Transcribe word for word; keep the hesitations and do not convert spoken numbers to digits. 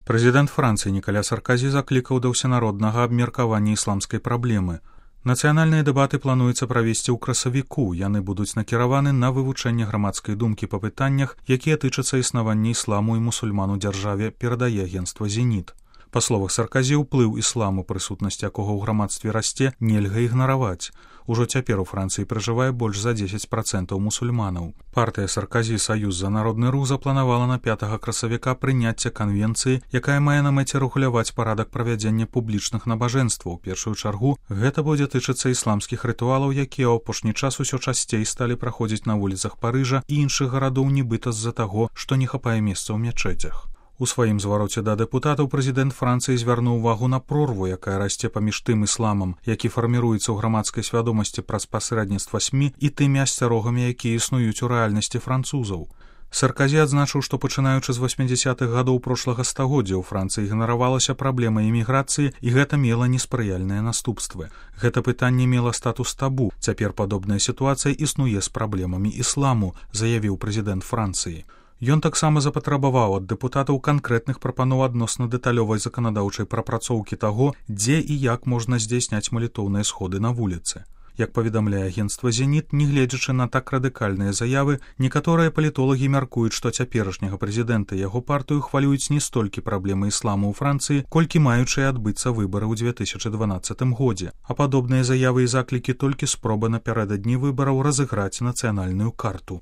Прэзідэнт Францыі Нікаля Сарказі заклікаў да ўсенароднага абмеркавання ісламскай праблемы. Нацыянальныя дэбаты плануецца правесці ў красавіку, яны будуць накіраваны на вывучэнне грамадскай думкі па пытаннях, якія тычацца існавання ісламу і мусульман у дзяржаве, перадае агенцтва «Зеніт». Па словах Сарказі, уплыў ісламу, прысутнасць якога ў грамадстве расце, нельга ігнараваць. Ужо цяпер у Францыі пражывае больш за дзесяць працэнтаў мусульманаў. Партыя Сарказі «Саюз за народны рух» запланавала на пятага красавіка прыняцце канвенцыі, якая мае на мэце рэгуляваць парадак правядзення публічных набажэнстваў. У першую чаргу гэта будзе тычыцца ісламскіх рытуалаў, якія ў апошні час усё часцей сталі праходзіць на вуліцах Парыжа і іншых гарадоў нібыта з-за таго, што не хапае месца ў мячэцях. У сваім звароце да дэпутатаў прэзідэнт Францыі звярнуў увагу на прорву, якая расце паміж тым ісламам, які фарміруецца ў грамадскай свядомасці праз пасрэдніцтва СМІ, і тымі асцярогамі, якія існуюць у рэальнасці французаў. Сарказі адзначыў, што пачынаючы з васьмідзясятых гадоў прошлага стагоддзя ў Францыі ігнаравалася праблема іміграцыі, і гэта мела неспрыяльныя наступствы. Гэта пытанне мела статус табу. Цяпер падобная сітуацыя існуе з праблемамі ісламу, заявіў прэзідэнт Францыі. Ён таксама запатрабаваў ад дэпутатаў канкрэтных прапаноў адносна дэталёвай заканадаўчай прапрацоўкі таго, дзе і як можна здзейсняць малітоўныя сходы на вуліцы. Як паведамляе агенцтва «Зеніт», нягледзячы на так радыкальныя заявы, некаторыя палітолагі мяркуюць, што цяперашняга прэзідэнта і яго партыю хвалююць не столькі праблемы ісламу ў Францыі, колькі маючыя адбыцца выбары ў дзве тысячы дванаццатым годзе. А падобныя заявы і заклікі толькі спроба напярэдадні выбараў разыграць нацыянальную карту.